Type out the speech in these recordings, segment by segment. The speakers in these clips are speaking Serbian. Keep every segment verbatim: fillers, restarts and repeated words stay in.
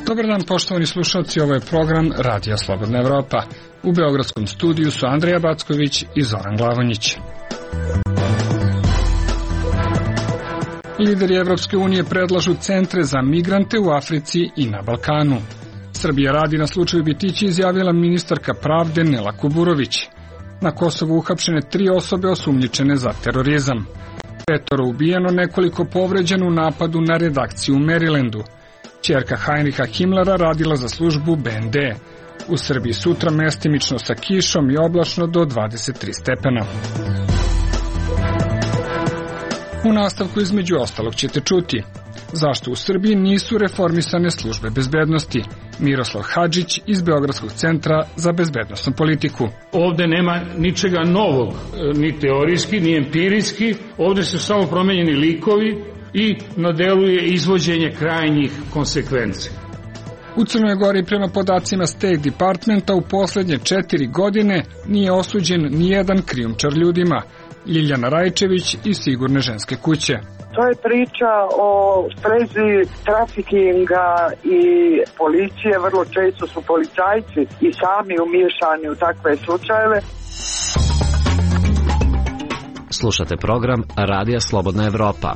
Dobar dan, poštovani slušalci, ovo je program Radija Slobodna Evropa. U beogradskom studiju su Andrija Backović i Zoran Glavonjić. Lideri Evropske unije predlažu centre za migrante u Africi i na Balkanu. Srbija radi na slučaju Bitići, izjavila ministarka pravde Nela Kuburović. Na Kosovu uhapšene tri osobe osumnjičene za terorizam. Petoro ubijeno, nekoliko povređeno u napadu na redakciju u Marylandu. Ćerka Heinricha Himmlera radila za službu B N D. U Srbiji sutra mestimično sa kišom i oblačno do dvadeset tri stepena. U nastavku između ostalog ćete čuti zašto u Srbiji nisu reformisane službe bezbednosti. Miroslav Hadžić iz Beogradskog centra za bezbednosnu politiku. Ovde nema ničega novog, ni teorijski, ni empirijski. Ovde su samo promenjeni likovi i na delu je izvođenje krajnjih konsekvenci. U Crnoj Gori prema podacima State Departmenta u poslednje četiri godine nije osuđen nijedan krijumčar ljudima. Ljiljana Rajčević iz Sigurne ženske kuće. To je priča o sprezi trafikinga i policije. Vrlo često su policajci i sami umiješani u takve slučajeve. Slušate program Radija Slobodna Evropa.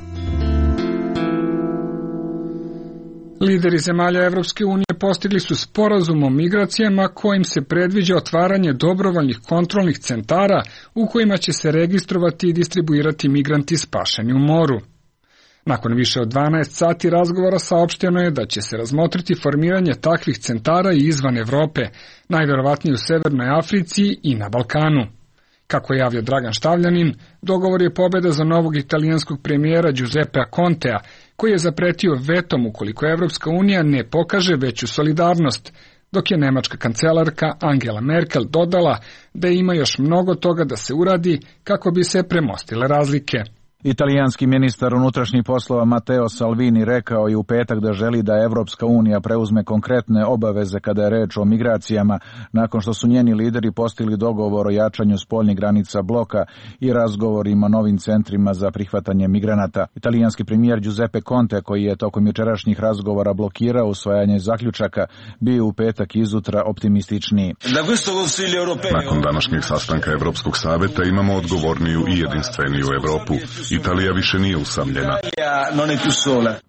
Lideri zemalja Evropske unije postigli su sporazum o migracijama kojim se predviđa otvaranje dobrovoljnih kontrolnih centara u kojima će se registrovati i distribuirati migranti spašeni u moru. Nakon više od dvanaest sati razgovora saopšteno je da će se razmotriti formiranje takvih centara i izvan Evrope, najverovatnije u Severnoj Africi i na Balkanu. Kako je javio Dragan Štavljanin, dogovor je pobeda za novog italijanskog premijera Giuseppea Contea, koji je zapretio vetom ukoliko Evropska unija ne pokaže veću solidarnost, dok je nemačka kancelarka Angela Merkel dodala da ima još mnogo toga da se uradi kako bi se premostile razlike. Italijanski ministar unutrašnjih poslova Matteo Salvini rekao je u petak da želi da Evropska unija preuzme konkretne obaveze kada je reč o migracijama, nakon što su njeni lideri postigli dogovor o jačanju spoljnih granica bloka i razgovorima o novim centrima za prihvatanje migranata. Italijanski premijer Giuseppe Conte, koji je tokom jučerašnjih razgovora blokirao usvajanje zaključaka, bio u petak izutra optimističniji. Nakon današnjeg sastanka Evropskog saveta imamo odgovorniju i jedinstveniju Evropu. Italija više nije usamljena.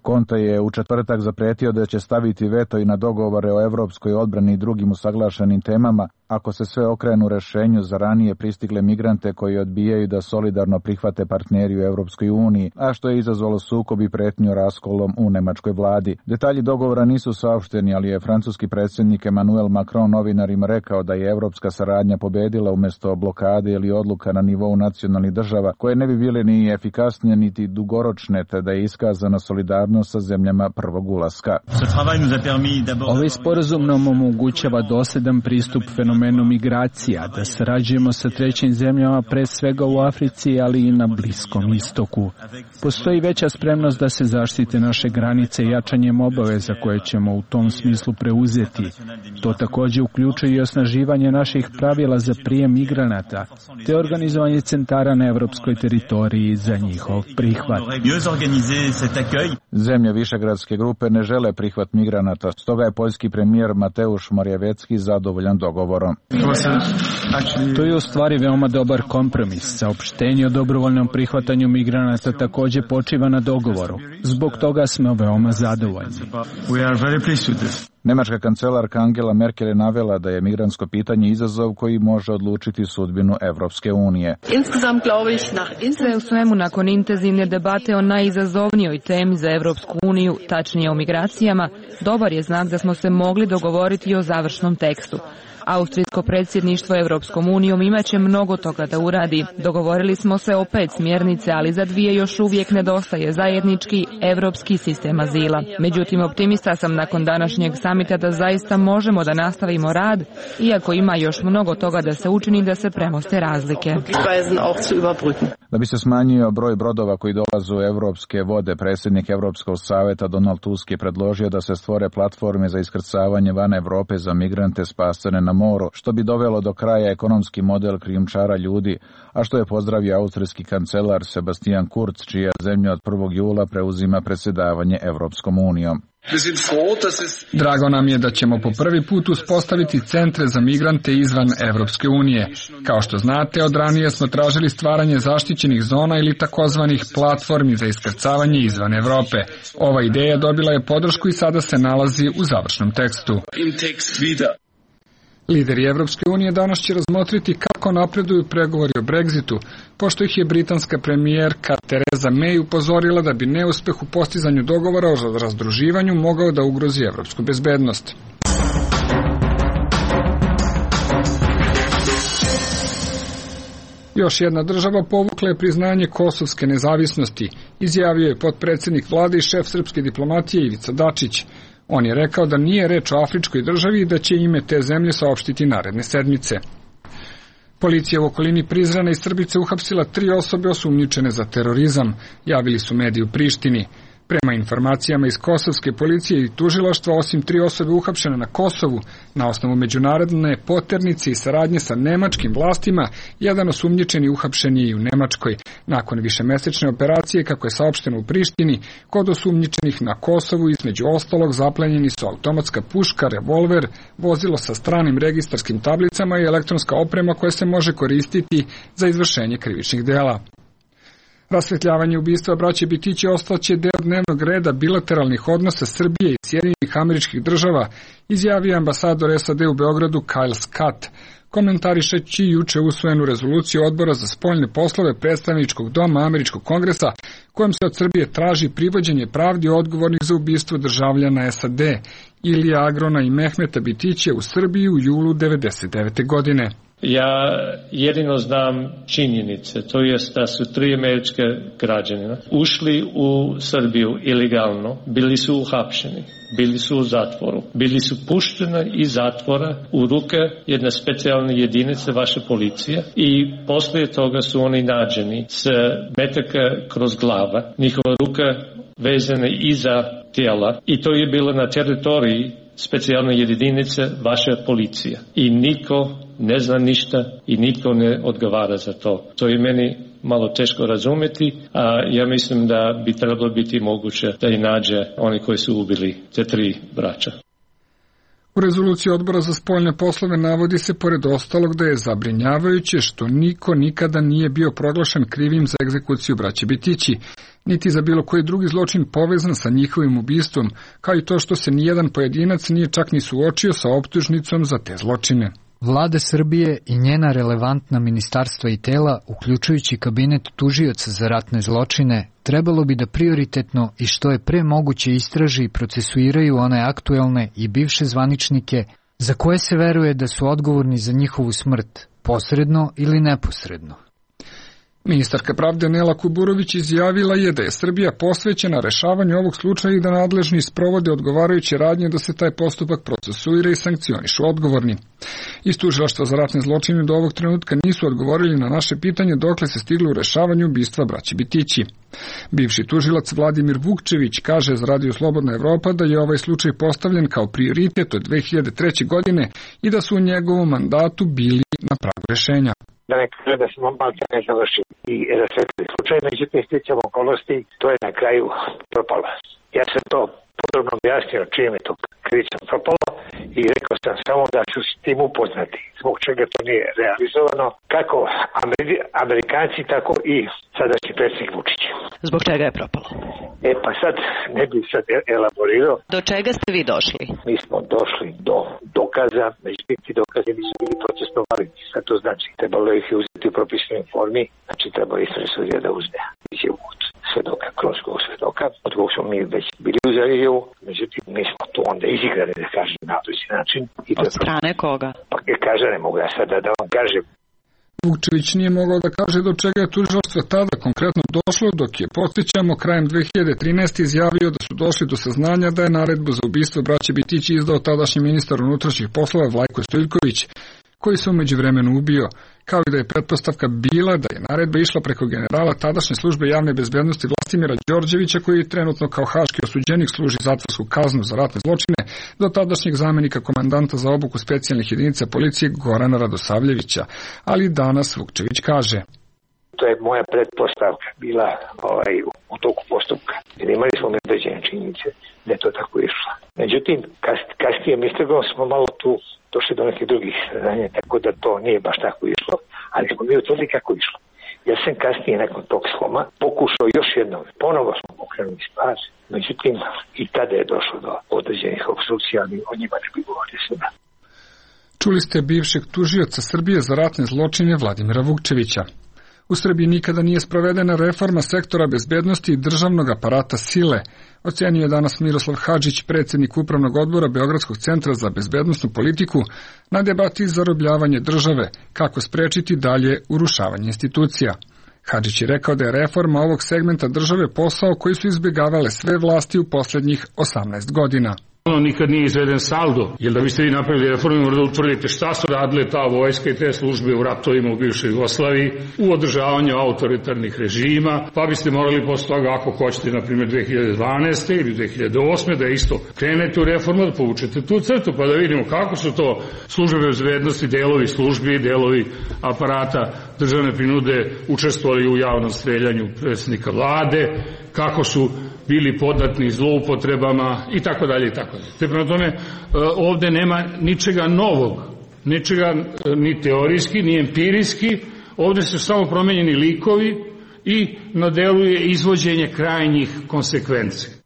Conte je u četvrtak zapretio da će staviti veto i na dogovore o evropskoj odbrani i drugim usaglašenim temama, ako se sve okrenu rešenju za ranije pristigle migrante koji odbijaju da solidarno prihvate partneri u Evropskoj uniji, a što je izazvalo sukob i pretnju raskolom u nemačkoj vladi. Detalji dogovora nisu saopšteni, ali je francuski predsjednik Emmanuel Macron novinarima rekao da je evropska saradnja pobedila umjesto blokade ili odluka na nivou nacionalnih država, koje ne bi bile ni efikasnije niti dugoročne, te da je iskazana solidarnost sa zemljama prvog ulaska. Ovaj sporazum nam omogućava dosljedan pristup fenomenu migracija, da sarađujemo sa trećim zemljama, pre svega u Africi, ali i na Bliskom istoku. Postoji veća spremnost da se zaštite naše granice jačanjem obaveza koje ćemo u tom smislu preuzeti. To također uključuje i osnaživanje naših pravila za prijem migranata, te organizovanje centara na evropskoj teritoriji za njihov prihvat. Zemlje Višegradske grupe ne žele prihvat migranata, stoga je poljski premijer Mateusz Morawiecki zadovoljan dogovorom. To je u stvari veoma dobar kompromis. Saopštenje o dobrovoljnom prihvatanju migranata također počiva na dogovoru. Zbog toga smo veoma zadovoljni. Nemačka kancelarka Angela Merkel je navela da je migrantsko pitanje izazov koji može odlučiti sudbinu Evropske unije. Sve u svemu, nakon intenzivne debate o najizazovnijoj temi za Evropsku uniju, tačnije o migracijama, dobar je znak da smo se mogli dogovoriti o završnom tekstu. Austrijsko predsjedništvo Evropskom unijom imaće mnogo toga da uradi. Dogovorili smo se o pet smjernice, ali za dvije još uvijek nedostaje zajednički evropski sistem azila. Međutim, optimista sam nakon današnjeg samita da zaista možemo da nastavimo rad, iako ima još mnogo toga da se učini da se premoste razlike. Da bi se smanjio broj brodova koji dolaze u evropske vode, predsjednik Evropskog saveta Donald Tusk je predložio da se stvore platforme za iskrcavanje van Evrope za migrante spasene na moru, što bi dovelo do kraja ekonomski model krijumčara ljudi, a što je pozdravio austrijski kancelar Sebastian Kurz, čija zemlja od prvog jula preuzima predsjedavanje Evropskom unijom. Drago nam je da ćemo po prvi put uspostaviti centre za migrante izvan Evropske unije. Kao što znate, od ranije smo tražili stvaranje zaštićenih zona ili takozvanih platformi za iskrcavanje izvan Evrope. Ova ideja dobila je podršku i sada se nalazi u završnom tekstu. Lideri Evropske unije danas će razmotriti kako napreduju pregovori o Brexitu, pošto ih je britanska premijerka Theresa May upozorila da bi neuspeh u postizanju dogovora o razdruživanju mogao da ugrozi evropsku bezbednost. Još jedna država povukla je priznanje kosovske nezavisnosti, izjavio je potpredsjednik vlade i šef srpske diplomatije Ivica Dačić. On je rekao da nije reč o afričkoj državi i da će ime te zemlje saopštiti naredne sedmice. Policija u okolini Prizrena i Srbice uhapsila tri osobe osumnjičene za terorizam, javili su mediji u Prištini. Prema informacijama iz kosovske policije i tužilaštva, osim tri osobe uhapšene na Kosovu, na osnovu međunarodne poternice i saradnje sa nemačkim vlastima, jedan osumnjičeni uhapšen je i u Nemačkoj. Nakon višemesečne operacije, kako je saopšteno u Prištini, kod osumnjičenih na Kosovu između ostalog zaplenjeni su automatska puška, revolver, vozilo sa stranim registarskim tablicama i elektronska oprema koja se može koristiti za izvršenje krivičnih dela. Rasvetljavanje ubistva braće Bitići ostaće deo dnevnog reda bilateralnih odnosa Srbije i Sjedinjenih Američkih Država, izjavio ambasador S A D u Beogradu Kyle Scott, komentarišeći juče usvojenu rezoluciju Odbora za spoljne poslove Predstavničkog doma Američkog kongresa, kojom se od Srbije traži privođenje pravdi odgovornih za ubistvo državljana S A D, Ilija Agrona i Mehmeta Bitića u Srbiji u julu devedeset devete. godine. Ja jedino znam činjenice, to jest da su tri američke građanina ušli u Srbiju ilegalno, bili su uhapšeni, bili su u zatvoru, bili su pušteni iz zatvora u ruke jedne specijalne jedinice vaše policije i poslije toga su oni nađeni s metaka kroz glava, njihova ruka vezane iza tijela i to je bilo na teritoriji specijalne jedinice vaše policije i niko ne zna ništa i nitko ne odgovara za to. To je meni malo teško razumjeti, a ja mislim da bi trebalo biti moguće da i nađe oni koji su ubili te tri braća. U rezoluciji Odbora za spoljne poslove navodi se pored ostalog da je zabrinjavajuće što niko nikada nije bio proglašen krivim za egzekuciju braće Bitići, niti za bilo koji drugi zločin povezan sa njihovim ubistvom, kao i to što se nijedan pojedinac nije čak ni suočio sa optužnicom za te zločine. Vlada Srbije i njena relevantna ministarstva i tela, uključujući kabinet tužioca za ratne zločine, trebalo bi da prioritetno i što je pre moguće istraži i procesuiraju one aktuelne i bivše zvaničnike za koje se veruje da su odgovorni za njihovu smrt, posredno ili neposredno. Ministarka pravde Nela Kuburović izjavila je da je Srbija posvećena rešavanju ovog slučaja i da nadležni sprovode odgovarajuće radnje da se taj postupak procesuira i sankcionišu odgovorni. Iz tužilaštva za ratne zločine do ovog trenutka nisu odgovorili na naše pitanje dokle se stiglo u rešavanju ubistva braće Bitići. Bivši tužilac Vladimir Vukčević kaže za Radio Slobodna Evropa da je ovaj slučaj postavljen kao prioritet od dve hiljade treće. godine i da su u njegovom mandatu bili na pragu rešenja. Da ne kaže da smo malo ne završili i rasvetili slučaj, međutim sticam okolnosti, to je na kraju propalo. Ja sam to podrobno objasnio čim je to krivica propalo i rekao sam samo da su s tim upoznati, zbog čega to nije realizovano, kako Amerikanci, tako i sadašnji predsjednik Vučić. Zbog čega je propalo? E pa sad ne bih sad elaborirao. Do čega ste vi došli? Mi smo došli do dokaza, međutim ti dokaze nisu bili procesno validni. Sad to znači, trebalo ih je uzeti u propisanoj formi, znači trebalo istražni sudija da uzme izjavu od svedoka, krunskog svedoka, od kog smo mi već bili uzeli izjavu, međutim mi smo to onda izigrani, da kažem, na doći način. I od strane koga? Pa kaže, ne mogu ja sada da vam kažem. Vukčević nije mogao da kaže do čega je tužilaštvo tada konkretno došlo, dok je, podsjećamo, krajem dve hiljade trinaeste. izjavio da su došli do saznanja da je naredbu za ubistvo braće Bitići izdao tadašnji ministar unutrašnjih poslova Vlajko Stojiljković, koji se umeđu vremenu ubio, kao i da je pretpostavka bila da je naredba išla preko generala tadašnje službe javne bezbednosti Vlastimira Đorđevića, koji trenutno kao haški osuđenik služi zatvorsku kaznu za ratne zločine, do tadašnjeg zamenika komandanta za obuku specijalnih jedinica policije Gorana Radosavljevića. Ali danas Vukčević kaže: To je moja pretpostavka bila ovaj, u toku postupka. Jer imali smo medveđene činjenice da je to tako išlo. Međutim, kasnije mi smo malo tu došli do nekih drugih saznanja, tako da to nije baš tako išlo, ali smo mi utvrdili kako išlo. Ja sam kasnije nakon tog sloma pokušao još jednom, ponovo smo pokrenuli stvar, međutim i tada je došlo do određenih opstrukcija, ali o njima ne bi govorio sada. Čuli ste bivšeg tužioca Srbije za ratne zločine Vladimira Vukčevića. U Srbiji nikada nije sprovedena reforma sektora bezbednosti i državnog aparata sile, ocenio je danas Miroslav Hadžić, predsjednik Upravnog odbora Beogradskog centra za bezbednosnu politiku, na debati zarobljavanje države, kako sprečiti dalje urušavanje institucija. Hadžić je rekao da je reforma ovog segmenta države posao koji su izbjegavale sve vlasti u posljednjih osamnaest godina. Ono nikad nije izveden saldo, jer da biste vi napravili reformu, morate utvrditi šta su radile ta vojska i te službe u ratovima u bivšoj Jugoslaviji, u održavanju autoritarnih režima, pa biste morali posle toga, ako hoćete, na primjer dve hiljade dvanaeste. ili dve hiljade osme. da isto krenete u reformu, da povučete tu crtu, pa da vidimo kako su to službe bezbednosti, delovi službi, delovi aparata državne prinude učestvovali u javnom streljanju predsjednika vlade, kako su bili podatni zloupotrebama i tako dalje i tako dalje. Te prema tome ovde nema ničega novog, ničega ni teorijski, ni empirijski, ovde su samo promenjeni likovi i na delu je izvođenje krajnjih konsekvenci.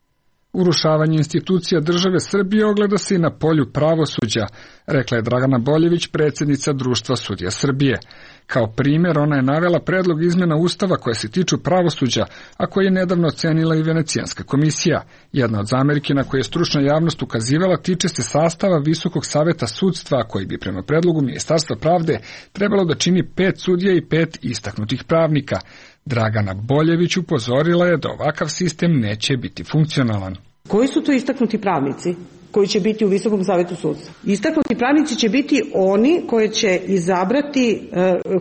Urušavanje institucija države Srbije ogleda se i na polju pravosuđa, rekla je Dragana Boljević, predsjednica Društva sudija Srbije. Kao primjer, ona je navela predlog izmjena Ustava koje se tiču pravosuđa, a koje je nedavno ocenila i Venecijanska komisija. Jedna od zamerki na koje je stručna javnost ukazivala tiče se sastava Visokog saveta sudstva, koji bi prema predlogu Ministarstva pravde trebalo da čini pet sudija i pet istaknutih pravnika. Dragana Boljević upozorila je da ovakav sistem neće biti funkcionalan. Koji su to istaknuti pravnici koji će biti u Visokom savetu sudstva? Istaknuti pravnici će biti oni koje će izabrati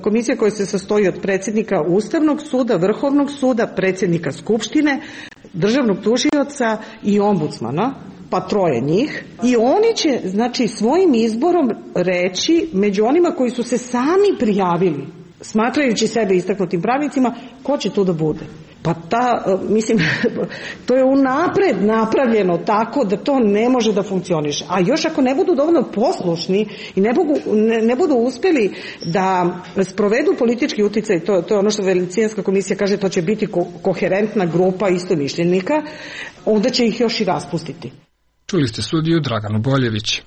komisija koja se sastoji od predsjednika Ustavnog suda, Vrhovnog suda, predsjednika Skupštine, državnog tužioca i ombudsmana, pa troje njih, i oni će, znači, svojim izborom reći među onima koji su se sami prijavili, smatrajući sebe istaknutim pravnicima, ko će tu da bude. Pa ta, mislim, to je unapred napravljeno tako da to ne može da funkcioniše. A još ako ne budu dovoljno poslušni i ne, bogu, ne, ne budu uspjeli da sprovedu politički uticaj, to, to je ono što Venecijanska komisija kaže, to će biti ko, koherentna grupa istomišljenika, onda će ih još i raspustiti. Čuli ste sudiju Draganu Boljević.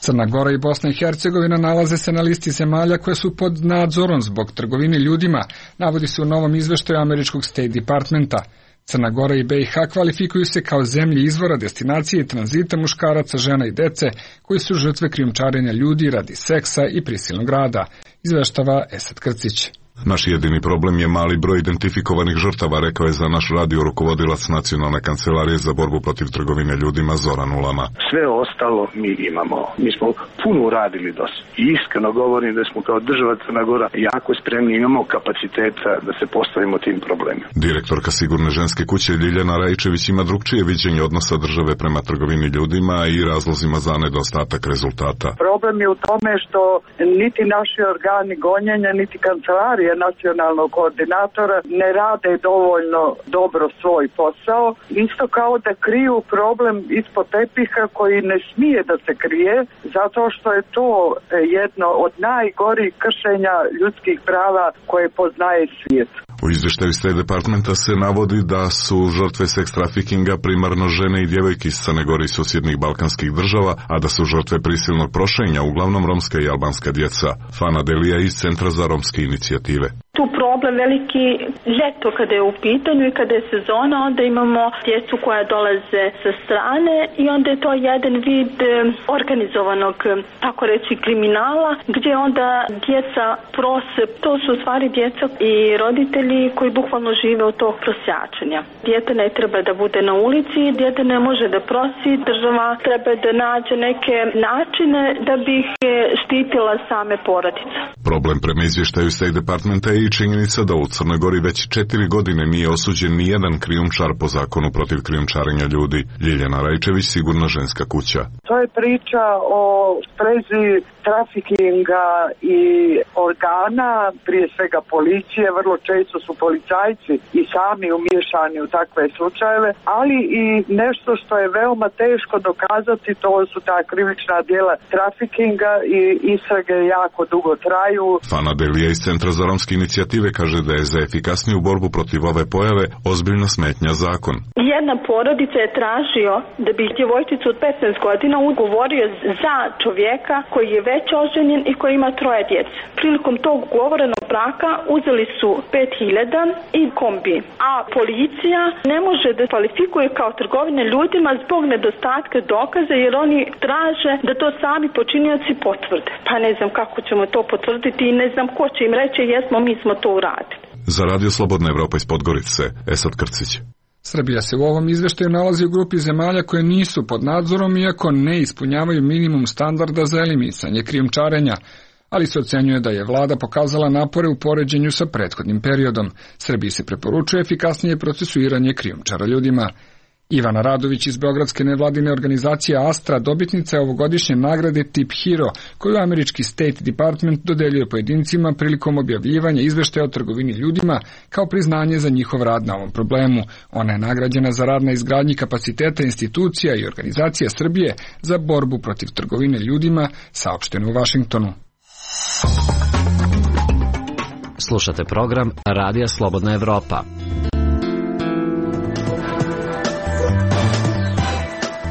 Crna Gora i Bosna i Hercegovina nalaze se na listi zemalja koje su pod nadzorom zbog trgovine ljudima, navodi se u novom izveštaju američkog State Departmenta. Crna Gora i B i H kvalifikuju se kao zemlje izvora, destinacije i tranzita muškaraca, žena i dece koji su žrtve krijumčarenja ljudi radi seksa i prisilnog rada, izveštava Esad Krcić. Naš jedini problem je mali broj identifikovanih žrtava, rekao je za naš radio rukovodilac Nacionalne kancelarije za borbu protiv trgovine ljudima Zoran Ulama. Sve ostalo mi imamo. Mi smo puno uradili dosta. I iskreno govorim da smo kao država Crna Gora jako spremni, imamo kapaciteta da se postavimo tim problemima. Direktorka Sigurne ženske kuće Ljiljana Rajčević ima drugčije viđenje odnosa države prema trgovini ljudima i razlozima za nedostatak rezultata. Problem je u tome što niti naši organi gonjenja, niti kancelarije nacionalnog koordinatora ne rade dovoljno dobro svoj posao, isto kao da kriju problem ispod tepiha koji ne smije da se krije, zato što je to jedno od najgorih kršenja ljudskih prava koje poznaje svijet. U izvještaju State Departmenta se navodi da su žrtve seks trafikinga primarno žene i djevojke iz Crne Gore i susjednih balkanskih država, a da su žrtve prisilnog prošenja uglavnom romska i albanska djeca. Fana Delija iz Centra za romske inicijative. Tu problem veliki ljeto kada je u pitanju i kada je sezona, onda imamo djecu koja dolaze sa strane i onda je to jedan vid organizovanog, tako reći, kriminala, gdje onda djeca prose, to su u stvari djeca i roditelji koji bukvalno žive od tog prosjačenja. Dijete ne treba da bude na ulici, dijete ne može da prosi, država treba da nađe neke načine da bi ih štitila same porodice. Problem prema izvještaju State Departmenta je i činjenica da u Crnoj Gori već četiri godine nije osuđen ni jedan krijumčar po zakonu protiv krijumčarenja ljudi. Ljiljana Rajčević, Sigurna ženska kuća. To je priča o sprezi trafikinga i organa, prije svega policije, vrlo često su policajci i sami umiješani u takve slučajeve, ali i nešto što je veoma teško dokazati, to su ta krivična djela trafikinga i istrage jako dugo traju. Fana Delija iz Centra za romske inicijative kaže da je za efikasniju borbu protiv ove pojave ozbiljna smetnja zakon. Jedna porodica je tražio da bi djevojčicu od petnaest godina ugovorio za čovjeka koji je već oženjen i koji ima troje djece. Prilikom tog ugovorenog braka uzeli su pet hiljada i kombi, a policija ne može da kvalifikuje kao trgovine ljudima zbog nedostatka dokaza, jer oni traže da to sami počinioci potvrde. Pa ne znam kako ćemo to potvrditi i ne znam ko će im reći jesmo, mi smo to uradili. Za Radio Slobodna Evropa iz Podgorice, Esad Krcić. Srbija se u ovom izveštaju nalazi u grupi zemalja koje nisu pod nadzorom iako ne ispunjavaju minimum standarda za eliminisanje krijumčarenja, ali se ocenjuje da je vlada pokazala napore u poređenju sa prethodnim periodom. Srbiji se preporučuje efikasnije procesuiranje krijumčara ljudima. Ivana Radović iz beogradske nevladine organizacije Astra dobitnica je ovogodišnje nagrade Tip Hero, koju američki State Department dodeljuje pojedincima prilikom objavljivanja izveštaja o trgovini ljudima kao priznanje za njihov rad na ovom problemu. Ona je nagrađena za rad na izgradnji kapaciteta institucija i organizacija Srbije za borbu protiv trgovine ljudima, saopšteno u Vašingtonu. Slušate program Radija Slobodna Evropa.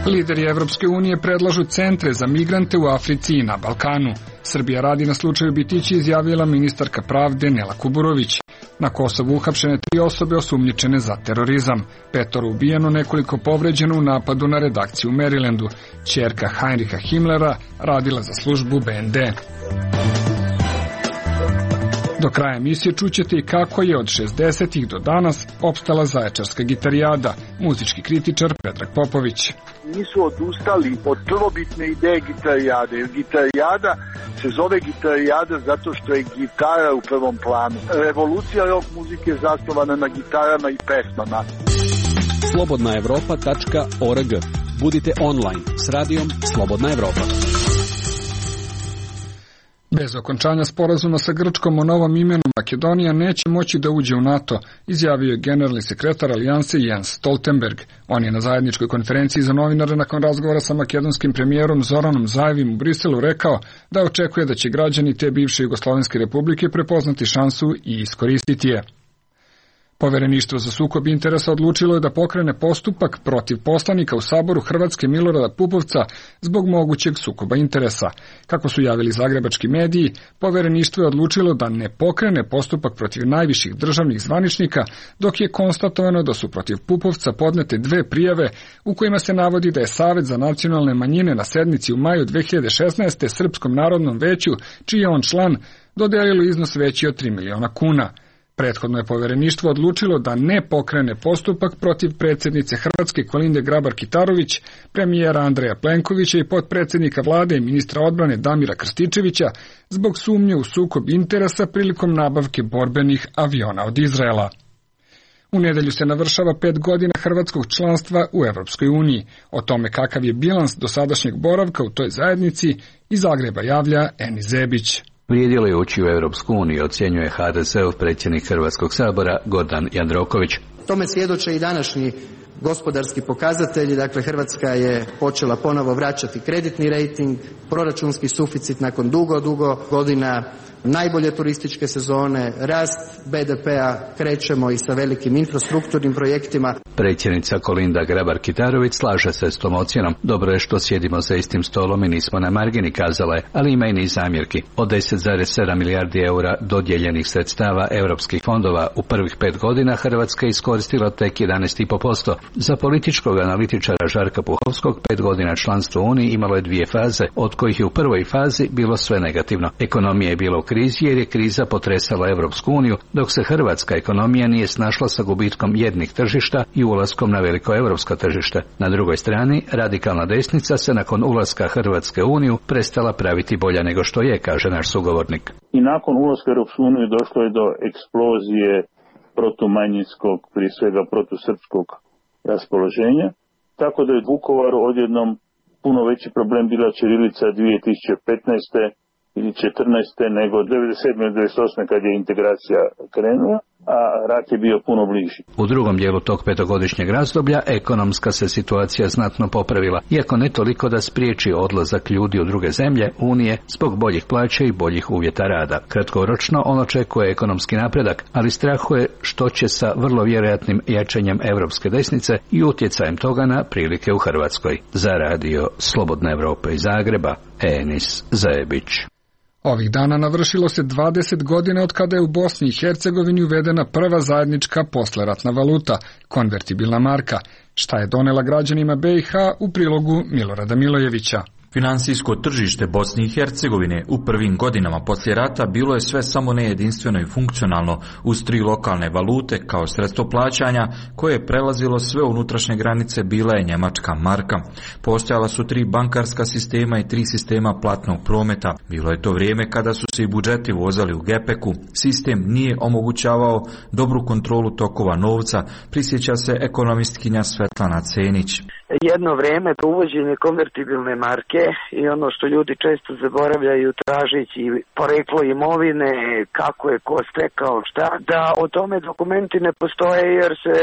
Lideri Evropske unije predlažu centre za migrante u Africi i na Balkanu. Srbija radi na slučaju Bitići, izjavila ministarka pravde Nela Kuburović. Na Kosovu uhapšene tri osobe osumnjičene za terorizam. Petoro ubijeno, nekoliko povređeno u napadu na redakciju u Marylandu. Ćerka Heinricha Himmlera radila za službu B N D. Do kraja emisije čućete i kako je od šezdesetih do danas opstala zaječarska gitarijada, muzički kritičar Predrag Popović. Nisu odustali od prvobitne ideje gitarijade, jer gitarijada se zove gitarijada zato što je gitara u prvom planu. Revolucija rock muzike je zasnovana na gitarama i pesmama. slobodna evropa tačka org. Budite online s radijom Slobodna Evropa. Bez okončanja sporazuma sa Grčkom o novom imenu Makedonija neće moći da uđe u NATO, izjavio je generalni sekretar Alijanse Jens Stoltenberg. On je na zajedničkoj konferenciji za novinare nakon razgovora sa makedonskim premijerom Zoranom Zajevim u Briselu rekao da očekuje da će građani te bivše Jugoslovenske republike prepoznati šansu i iskoristiti je. Povereništvo za sukob interesa odlučilo je da pokrene postupak protiv poslanika u Saboru Hrvatske Milorada Pupovca zbog mogućeg sukoba interesa. Kako su javili zagrebački mediji, povereništvo je odlučilo da ne pokrene postupak protiv najviših državnih zvaničnika, dok je konstatovano da su protiv Pupovca podnete dve prijave u kojima se navodi da je Savet za nacionalne manjine na sednici u maju dve hiljade šesnaeste. Srpskom narodnom veću, čiji je on član, dodelilo iznos veći od tri miliona kuna. Prethodno je povereništvo odlučilo da ne pokrene postupak protiv predsjednice Hrvatske Kolinde Grabar-Kitarović, premijera Andreja Plenkovića i potpredsjednika vlade i ministra odbrane Damira Krstičevića zbog sumnje u sukob interesa prilikom nabavke borbenih aviona od Izraela. U nedelju se navršava pet godina hrvatskog članstva u Evropskoj uniji. O tome kakav je bilans dosadašnjeg boravka u toj zajednici iz Zagreba javlja Eni Zebić. Vrijedilo je ući u Europsku uniju, ocjenjuje H D S-ov predsjednik Hrvatskog sabora Gordan Jandroković. Tome svjedoče i današnji gospodarski pokazatelji, dakle Hrvatska je počela ponovo vraćati kreditni rejting, proračunski suficit nakon dugo, dugo godina, najbolje turističke sezone, rast be de pea, krećemo i sa velikim infrastrukturnim projektima. Predsjednica Kolinda Grabar-Kitarović slaže se s tom ocjenom. Dobro je što sjedimo za istim stolom i nismo na margini, kazala je, ali ima i niz zamjerki. Od deset zarez sedam milijardi eura dodijeljenih sredstava europskih fondova u prvih pet godina Hrvatska je iskoristila tek jedanaest zarez pet posto. Za političkog analitičara Žarka Puhovskog pet godina članstva u Uniji imalo je dvije faze, od kojih je u prvoj fazi bilo sve negativno. Ekonomija je bila u krizi jer je kriza potresala Europsku uniju, dok se hrvatska ekonomija nije snašla sa gubitkom jednih tržišta i ulaskom na veliko europsko tržište. Na drugoj strani, radikalna desnica se nakon ulaska Hrvatske u Uniju prestala praviti bolja nego što je, kaže naš sugovornik. I nakon ulaska u Europsku uniju došlo je do eksplozije protumanjinskog, prije svega protusrpskog raspoloženja, tako da je Vukovaru odjednom puno veći problem bila ćirilica dvije tisuće petnaeste ili četrnaeste nego devedeset sedme ili devedeset osme kad je integracija krenula, a rat je bio puno bliži. U drugom dijelu tog petogodišnjeg razdoblja ekonomska se situacija znatno popravila, iako ne toliko da spriječi odlazak ljudi u druge zemlje Unije zbog boljih plaća i boljih uvjeta rada. Kratkoročno on očekuje ekonomski napredak, ali strahuje što će sa vrlo vjerojatnim jačanjem europske desnice i utjecajem toga na prilike u Hrvatskoj. Za radio Slobodna Evropa iz Zagreba, Enis Zajebić. Ovih dana navršilo se dvadeset godina od kada je u Bosni i Hercegovini uvedena prva zajednička posleratna valuta, konvertibilna marka. Šta je donela građanima be i ha u prilogu Milorada Milojevića. Finansijsko tržište Bosne i Hercegovine u prvim godinama poslije rata bilo je sve samo ne jedinstveno i funkcionalno uz tri lokalne valute kao sredstvo plaćanja koje je prelazilo sve unutrašnje granice bila je njemačka marka. Postojala su tri bankarska sistema i tri sistema platnog prometa. Bilo je to vrijeme kada su se i budžeti vozali u gepeku. Sistem nije omogućavao dobru kontrolu tokova novca, prisjeća se ekonomistkinja Svetlana Cenić. Jedno vrijeme uvođenje konvertibilne marke i ono što ljudi često zaboravljaju tražići poreklo imovine, kako je ko stekao šta, da o tome dokumenti ne postoje jer se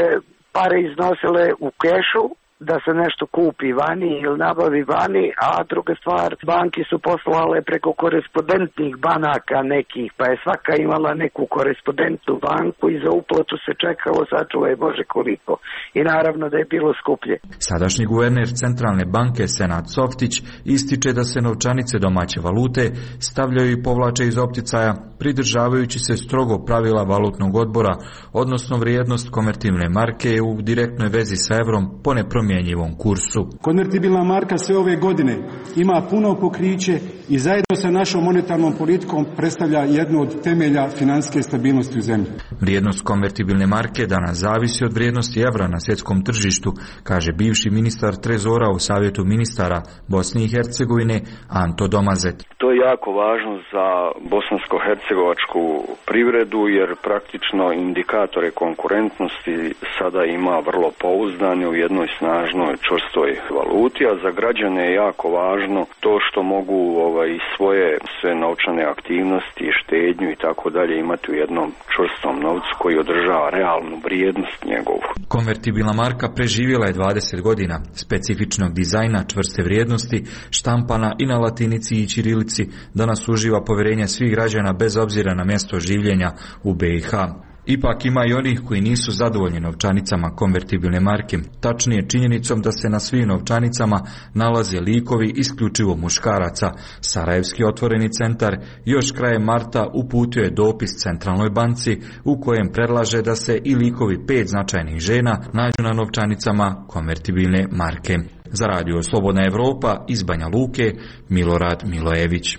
pare iznosile u kešu, da se nešto kupi vani ili nabavi vani, a druga stvar, banki su poslale preko korespondentnih banaka nekih, pa je svaka imala neku korespondentnu banku i za uplatu se čekalo, sačuvaj Bože koliko. I naravno da je bilo skuplje. Sadašnji guverner Centralne banke Senad Softić ističe da se novčanice domaće valute stavljaju i povlače iz opticaja, pridržavajući se strogo pravila valutnog odbora, odnosno vrijednost konvertibilne marke je u direktnoj vezi sa evrom po nepromjenjivom kursu. Konvertibilna marka sve ove godine ima puno pokriće i zajedno sa našom monetarnom politikom predstavlja jednu od temelja financijske stabilnosti u zemlji. Vrijednost konvertibilne marke danas zavisi od vrijednosti evra na svjetskom tržištu, kaže bivši ministar trezora u Savjetu ministara Bosne i Hercegovine Anto Domazet. To je jako važno za bosansko-hercegovačku privredu jer praktično indikatore konkurentnosti sada ima vrlo pouzdane u jednoj snažnoj čvrstoj valuti, a za građane je jako važno to što mogu ovaj, svoje sve novčane aktivnosti, štednju i tako dalje imati u jednom čvrstom novcu koji održava realnu vrijednost njegovu. Konvertibilna marka preživjela je dvadeset godina, specifičnog dizajna, čvrste vrijednosti, štampana i na latinici i ćirilici, danas uživa povjerenje svih građana bez obzira na mjesto življenja u be i ha. Ipak ima i onih koji nisu zadovoljni novčanicama konvertibilne marke, tačnije činjenicom da se na svim novčanicama nalaze likovi isključivo muškaraca. Sarajevski otvoreni centar još krajem marta uputio je dopis Centralnoj banci u kojem predlaže da se i likovi pet značajnih žena nađu na novčanicama konvertibilne marke. Za radio Slobodna Evropa iz Banja Luke, Milorad Milojević.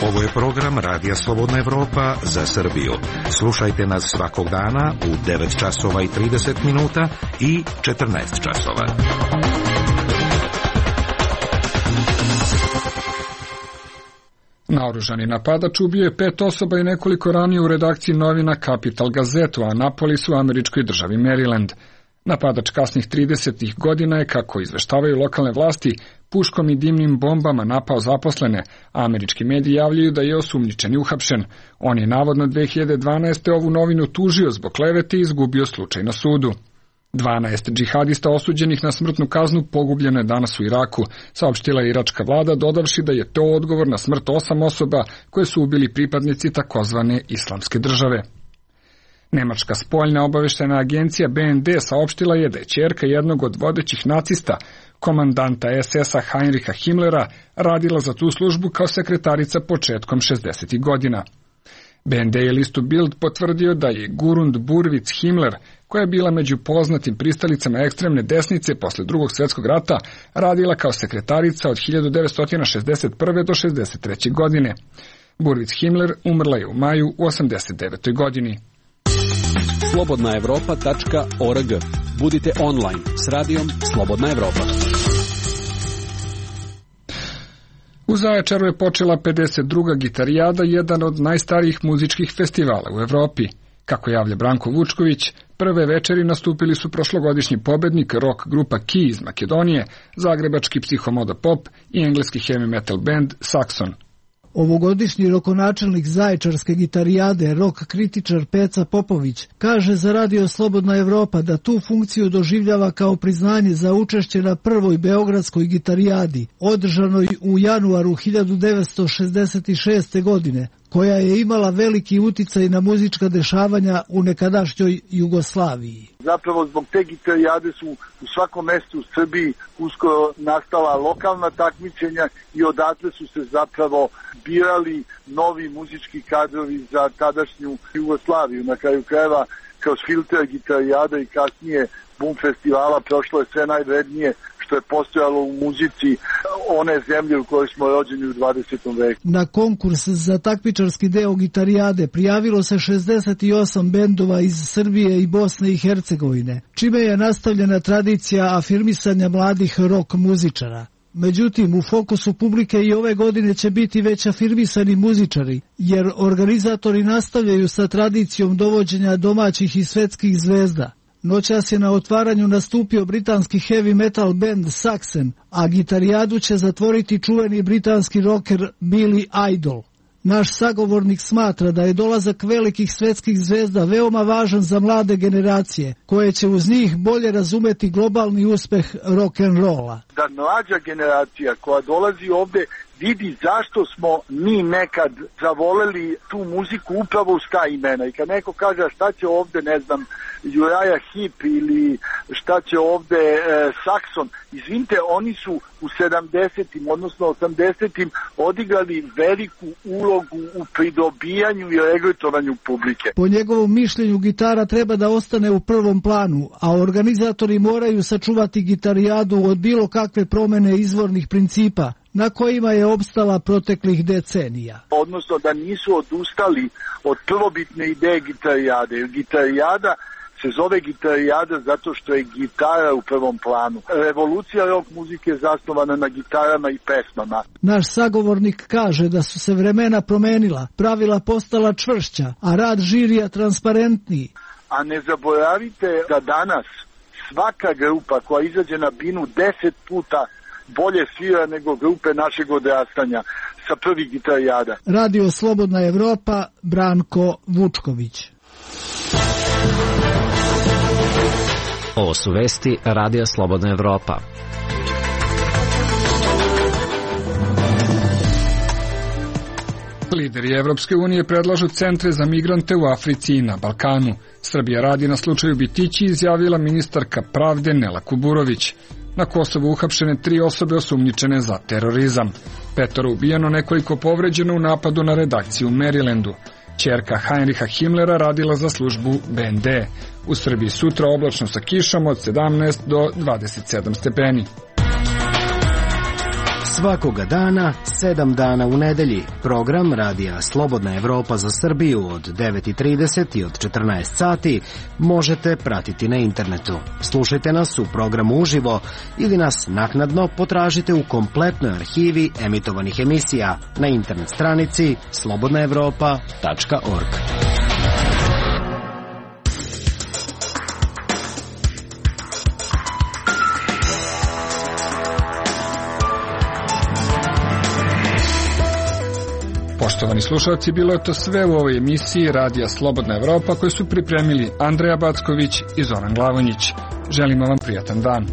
Ovo je program Radija Slobodna Evropa za Srbiju. Slušajte nas svakog dana u devet časova i trideset minuta i četrnaest časova. Naoružani napadač ubio je pet osoba i nekoliko ranije u redakciji novina Capital Gazetu, a Anapolis u američkoj državi Maryland. Napadač kasnih tridesetih godina je, kako izveštavaju lokalne vlasti, puškom i dimnim bombama napao zaposlene. Američki mediji javljaju da je osumnjičeni uhapšen. On je navodno dve hiljade dvanaeste. ovu novinu tužio zbog klevete i izgubio slučaj na sudu. dvanaest džihadista osuđenih na smrtnu kaznu pogubljeno je danas u Iraku, saopštila je iračka vlada, dodavši da je to odgovor na smrt osam osoba koje su ubili pripadnici takozvane islamske države. Nemačka spoljna obaveštajna agencija B N D saopštila je da je ćerka jednog od vodećih nacista, komandanta S S-a Heinricha Himmlera, radila za tu službu kao sekretarica početkom šezdesetih godina. B N D je listu Bild potvrdio da je Gurund Burwitz Himmler, koja je bila među poznatim pristalicama ekstremne desnice posle drugog svjetskog rata, radila kao sekretarica od hiljadu devetsto šezdeset prve do šezdeset treće. godine. Burwitz Himmler umrla je u maju u osamdeset devetoj. godini. slobodna evropa tačka org. Budite online s radijom Slobodna Evropa. U Zaječaru je počela pedeset druga gitarijada, jedan od najstarijih muzičkih festivala u Evropi. Kako javlja Branko Vučković, prve večeri nastupili su prošlogodišnji pobednik rock grupa Ki iz Makedonije, zagrebački psihomoda pop i engleski heavy metal band Saxon. Ovogodišnji rokonačelnik Zaječarske gitarijade, rock kritičar Peca Popović, kaže za Radio Slobodna Evropa da tu funkciju doživljava kao priznanje za učešće na prvoj beogradskoj gitarijadi, održanoj u januaru hiljadu devetsto šezdeset šeste. godine, koja je imala veliki uticaj na muzička dešavanja u nekadašnjoj Jugoslaviji. Zapravo zbog te gitarijade su u svakom mestu u Srbiji uskoro nastala lokalna takmičenja i odatle su se zapravo birali novi muzički kadrovi za tadašnju Jugoslaviju. Na kraju krajeva kroz filter gitarijada i kasnije Bum festivala prošlo je sve najvrednije što je postojalo u muzici one zemlje u kojoj smo rođeni u dvadesetom veku. Na konkurs za takmičarski deo gitarijade prijavilo se šezdeset osam bendova iz Srbije i Bosne i Hercegovine, čime je nastavljena tradicija afirmisanja mladih rock muzičara. Međutim, u fokusu publike i ove godine će biti već afirmisani muzičari, jer organizatori nastavljaju sa tradicijom dovođenja domaćih i svetskih zvezda. Noćas je na otvaranju nastupio britanski heavy metal band Saxon, a gitarijadu će zatvoriti čuveni britanski rocker Billy Idol. Naš sagovornik smatra da je dolazak velikih svetskih zvezda veoma važan za mlade generacije, koje će uz njih bolje razumeti globalni uspeh rock'n'rolla. Da mlađa generacija koja dolazi ovde vidi zašto smo mi nekad zavoleli tu muziku upravo uz ta imena. I kad neko kaže šta će ovde, ne znam, Uriah Heep ili šta će ovde e, Saxon, izvinite, oni su u sedamdesetim, odnosno osamdesetim odigrali veliku ulogu u pridobijanju i regretovanju publike. Po njegovom mišljenju gitara treba da ostane u prvom planu, a organizatori moraju sačuvati gitarijadu od bilo kakve promene izvornih principa na kojima je opstala proteklih decenija. Odnosno da nisu odustali od prvobitne ideje gitarijade, jer gitarijada se zove gitarijada zato što je gitara u prvom planu. Revolucija rock muzike je zasnovana na gitarama i pesmama. Naš sagovornik kaže da su se vremena promenila, pravila postala čvršća, a rad žirija transparentniji. A ne zaboravite da danas svaka grupa koja izađe na binu deset puta bolje svira nego grupe našeg odrastanja sa prvih gitarijada. Radio Slobodna Evropa, Branko Vučković. Ovo su vesti Radija Slobodna Evropa. Lideri Evropske unije predlažu centre za migrante u Africi i na Balkanu. Srbija radi na slučaju Bitići, izjavila ministarka pravde Nela Kuburović. Na Kosovu uhapšene tri osobe osumnjičene za terorizam. Petoro ubijeno, nekoliko povređeno u napadu na redakciju u Marylandu. Ćerka Heinricha Himmlera radila za službu B N D. U Srbiji sutra oblačno sa kišom od sedamnaest do dvadeset sedam stepeni. Svakoga dana, sedam dana u nedelji, program Radija Slobodna Evropa za Srbiju od devet i trideset i od četrnaest sati možete pratiti na internetu. Slušajte nas u programu uživo ili nas naknadno potražite u kompletnoj arhivi emitovanih emisija na internet stranici slobodna evropa tačka org. Poštovani slušalci, bilo je to sve u ovoj emisiji Radija Slobodna Evropa koju su pripremili Andreja Backović i Zoran Glavonjić. Želimo vam prijatan dan.